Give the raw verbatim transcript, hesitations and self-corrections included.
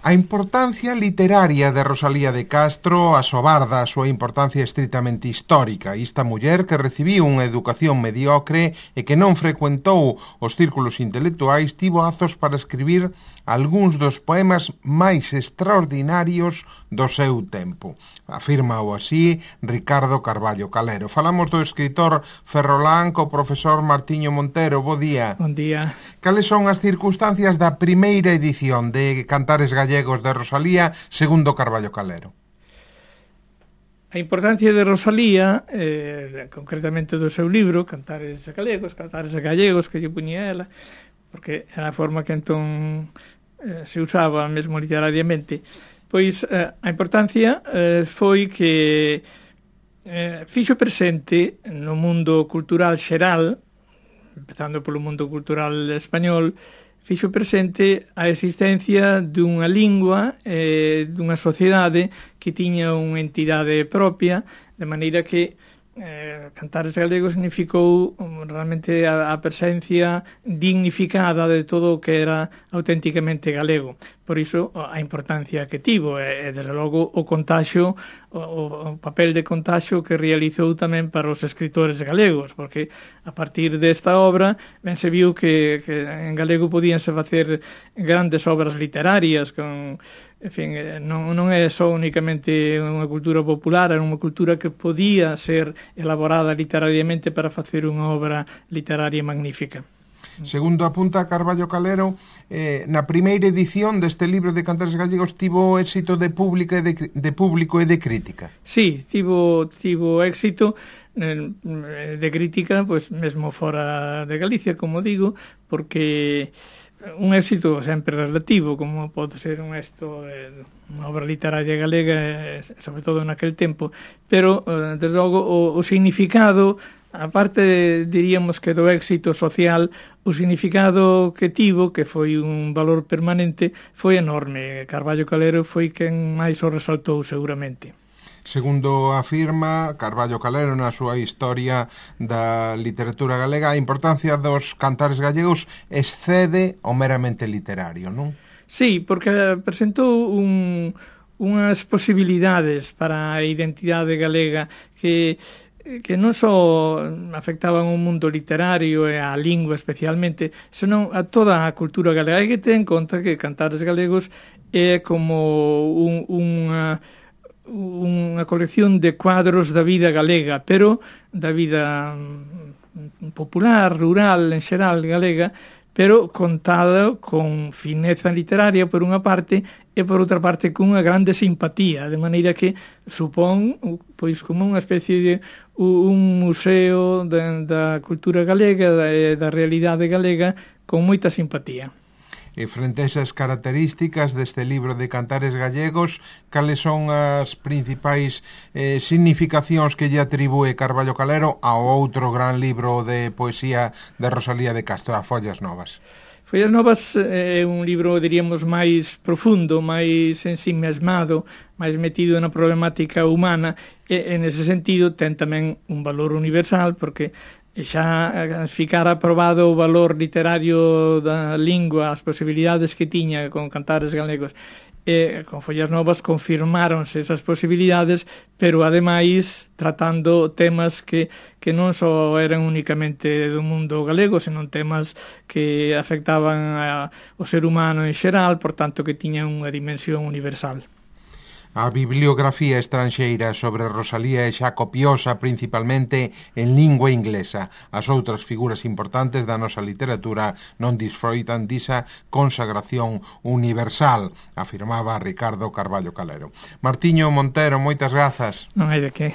A importancia literaria de Rosalía de Castro asobarda a súa importancia estritamente histórica. Esta muller que recibiu unha educación mediocre e que non frecuentou os círculos intelectuais tivo azos para escribir algúns dos poemas máis extraordinarios do seu tempo. Afírmao así Ricardo Carballo Calero. Falamos do escritor ferrolán co profesor Martiño Montero. Bo día. Bon día. Cales son as circunstancias da primeira edición de Cantares Gallegos de Rosalía, segundo Carballo Calero? A importancia de Rosalía, eh, concretamente do seu libro, Cantares Galegos, Cantares Gallegos, que lle puñía ela, porque era a forma que entón eh, se usaba mesmo literariamente, pois eh, a importancia eh, foi que eh, fixo presente no mundo cultural xeral, empezando polo mundo cultural español, fixo presente a existencia dunha lingua, eh, dunha sociedade que tiña unha entidade propia, de maneira que eh, Cantares Galegos significou um, realmente a, a presencia dignificada de todo o que era auténticamente galego. Por iso a importancia que tivo e, e desde logo o contaxo, o, o papel de contaxo que realizou tamén para os escritores galegos, porque a partir desta obra ben se viu que, que en galego podíanse facer grandes obras literarias con, en fin, non, non é só únicamente unha cultura popular, era unha cultura que podía ser elaborada literariamente para facer unha obra literaria magnífica. Segundo apunta Carballo Calero, eh, na primeira edición deste libro de Cantares Gallegos tivo éxito de público e de, de público e de crítica. Sí, tivo, tivo éxito eh, de crítica, pois mesmo fora de Galicia, como digo, porque un éxito sempre relativo, como pode ser un éxito de unha obra literaria galega, sobre todo naquel tempo, pero, eh, desde logo, o, o significado, aparte, diríamos que do éxito social, o significado que tivo, que foi un valor permanente, foi enorme. Carballo Calero foi quen máis o resaltou, seguramente. Segundo afirma Carballo Calero na súa historia da literatura galega, a importancia dos cantares gallegos excede o meramente literario, non? Sí, porque presentou un, unhas posibilidades para a identidade galega que que non só afectaban o mundo literario e a lingua especialmente, senón a toda a cultura galega. Hai que ter en conta que Cantares Galegos é como un, unha, unha colección de cuadros da vida galega, pero da vida popular, rural, en xeral galega, pero contado con fineza literaria por unha parte e por outra parte con unha grande simpatía, de maneira que supón pois como unha especie de un museo de, da cultura galega, da, da realidade galega, con moita simpatía. E frente a esas características deste libro de Cantares Gallegos, cales son as principais eh, significacións que lle atribúe Carballo Calero ao outro gran libro de poesía de Rosalía de Castro, a Follas Novas? Follas Novas é un libro, diríamos, máis profundo, máis ensimesmado, máis metido na problemática humana, e, en ese sentido, ten tamén un valor universal, porque xa ficara aprobado o valor literario da lingua, as posibilidades que tiña con Cantares Galegos, e con Follas Novas confirmáronse esas posibilidades, pero ademais tratando temas que, que non só eran únicamente do mundo galego, senón temas que afectaban ao ser humano en xeral, por tanto que tiñan unha dimensión universal. A bibliografía estranxeira sobre Rosalía é xa copiosa principalmente en lingua inglesa. As outras figuras importantes da nosa literatura non disfroitan disa consagración universal, afirmaba Ricardo Carballo Calero. Martiño Montero, moitas grazas. Non hai de que.